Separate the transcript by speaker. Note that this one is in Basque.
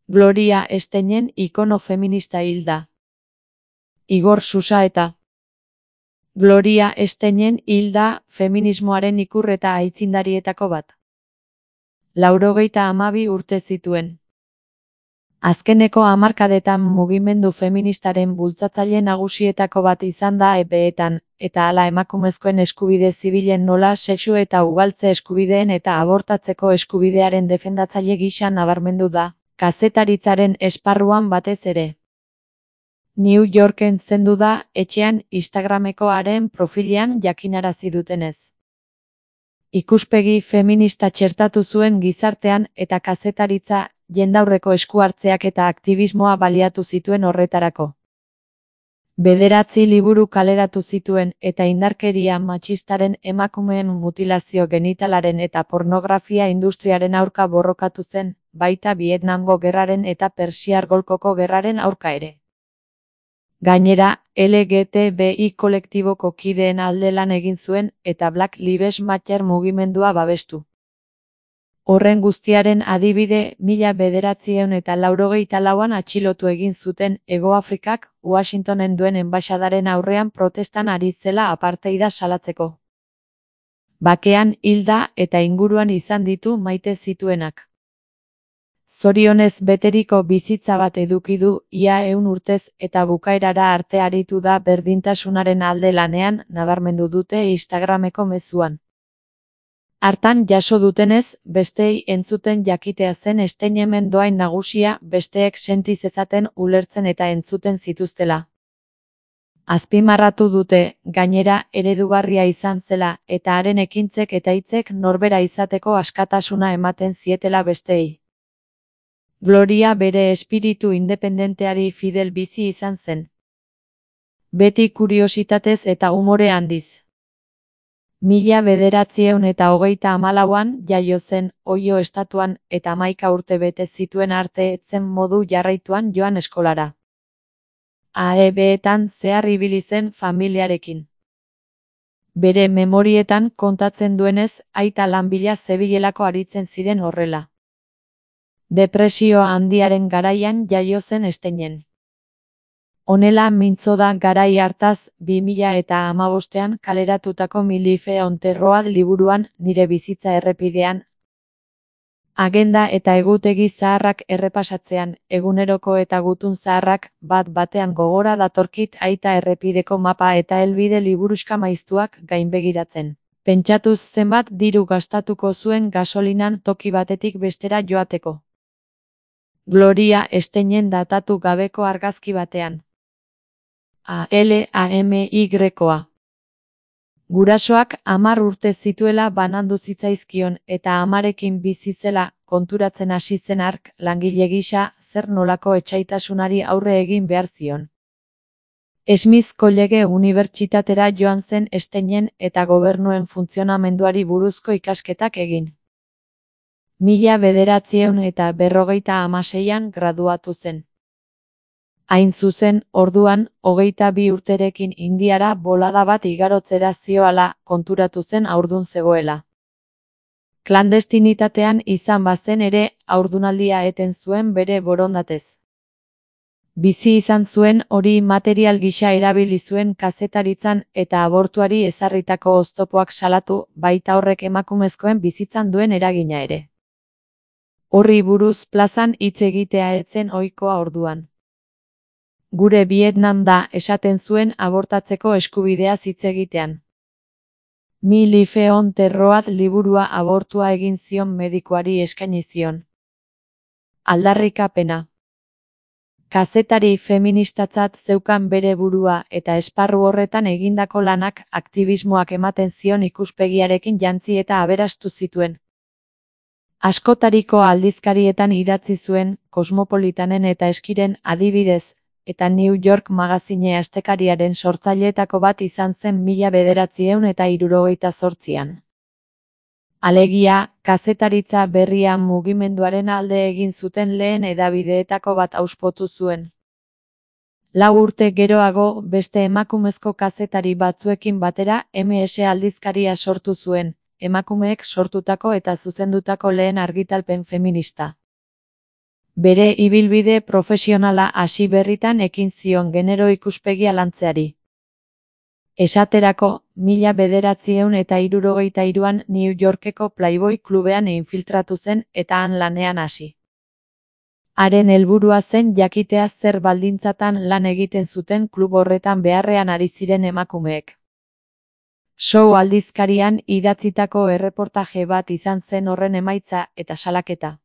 Speaker 1: Gloria Steinem ikono feminista hil da. Igor Susaeta. Gloria Steinem hil da feminismoaren ikur eta aitzindarietako bat. 92 urte zituen. Azkeneko hamarkadetan mugimendu feministaren bultzatzaile nagusietako bat izan da epeetan, eta hala emakumezkoen eskubide zibilen nola sexu eta ugaltze eskubideen eta abortatzeko eskubidearen defendatzaile gisa nabarmendu da, kazetaritzaren esparruan batez ere. New Yorken zendu da, etxean Instagrameko haren profilean jakinarazi dutenez. Ikuspegi feminista txertatu zuen gizartean eta kazetaritza, jendaurreko eskuhartzeak eta aktivismoa baliatu zituen horretarako. 9 liburu kaleratu zituen eta indarkeria matxistaren, emakumeen mutilazio genitalaren eta pornografia industriaren aurka borrokatu zen, baita Vietnamgo gerraren eta Persiar Golkoko gerraren aurka ere. Gainera, LGTBI kolektiboko kideen alde lan egin zuen eta Black Lives Matter mugimendua babestu. Horren guztiaren adibide, 1984an atxilotu egin zuten Hego Afrikak Washingtonen duen enbaxadaren aurrean protestan ari zela apartheida salatzeko. Bakean hil da eta inguruan izan ditu maite zituenak. Zorionez beteriko bizitza bat eduki du ia 100 urtez eta bukaerara arte aritu da berdintasunaren alde lanean, nabarmendu dute Instagrameko mezuan. Hartan jaso dutenez, besteei entzuten jakitea zen Steinemen dohain nagusia, besteek senti zezaten ulertzen eta entzuten zituztela. Azpimarratu dute, gainera, eredugarria izan zela, eta haren ekintzek eta hitzek norbera izateko askatasuna ematen zietela besteei. Gloria bere espiritu independenteari fidel bizi izan zen. Beti kuriositatez eta umore handiz. 1934an jaio zen, Ohio estatuan, eta 11 urte bete zituen arte etzen modu jarraituan joan eskolara. AEB-etan zehar ibili zen familiarekin. Bere memorietan kontatzen duenez, aita lan bila zebilelako aritzen ziren horrela. Depresio handiaren garaian jaio zen Steinem. Honela mintzo da garai hartaz, 2015an kaleratutako Mi Life on the Road liburuan, nire bizitza errepidean. Agenda eta egutegi zaharrak errepasatzean, eguneroko eta gutun zaharrak, bat-batean gogora datorkit aita errepideko mapa eta helbide liburuxka maiztuak gainbegiratzen. Pentsatuz zenbat diru gastatuko zuen gasolinan toki batetik bestera joateko. Gloria Steinem datatu gabeko argazki batean. ALAMY-a. Gurasoak 10 urte zituela banandu zitzaizkion eta amarekin bizi zela, konturatzen hasi zen hark, langile gisa, zer nolako etsaitasunari aurre egin behar zion. Smith College unibertsitatera joan zen Steinem eta gobernuen funtzionamenduari buruzko ikasketak egin. 1956an graduatu zen. Hain zuzen, orduan, 22 urterekin Indiara bolada bat igarotzera zioala, konturatu zen haurdun zegoela. Klandestinitatean izan bazen ere, haurdunaldia eten zuen bere borondatez. Bizi izan zuen hori material gisa erabili zuen kazetaritzan eta abortuari ezarritako oztopoak salatu, baita horrek emakumezkoen bizitzan duen eragina ere. Horri buruz plazan hitz egitea ez zen ohikoa orduan. Gure Vietnam da, esaten zuen abortatzeko eskubideaz hitz egitean. Mi Life on the Road liburua abortua egin zion medikuari eskaini zion. Aldarrikapena. Kazetari feministatzat zeukan bere burua eta esparru horretan egindako lanak aktivismoak ematen zion ikuspegiarekin jantzi eta aberastu zituen. Askotariko aldizkarietan idatzi zuen, Kosmopolitanen eta Eskiren adibidez, eta New York Magazine astekariaren sortzaileetako bat izan zen 1978an. Alegia, kazetaritza berria mugimenduaren alde egin zuten lehen hedabideetako bat auspotu zuen. 4 urte geroago, beste emakumezko kazetari batzuekin batera MS aldizkaria sortu zuen, emakumeek sortutako eta zuzendutako lehen argitalpen feminista. Bere ibilbide profesionala hasi berritan ekin zion genero ikuspegia lantzeari. Esaterako, 1963an New Yorkeko Playboy klubean infiltratu zen eta han lanean hasi. Haren helburua zen jakitea zer baldintzatan lan egiten zuten klub horretan beharrean ari ziren emakumeek. Show aldizkarian idatzitako erreportaje bat izan zen horren emaitza eta salaketa.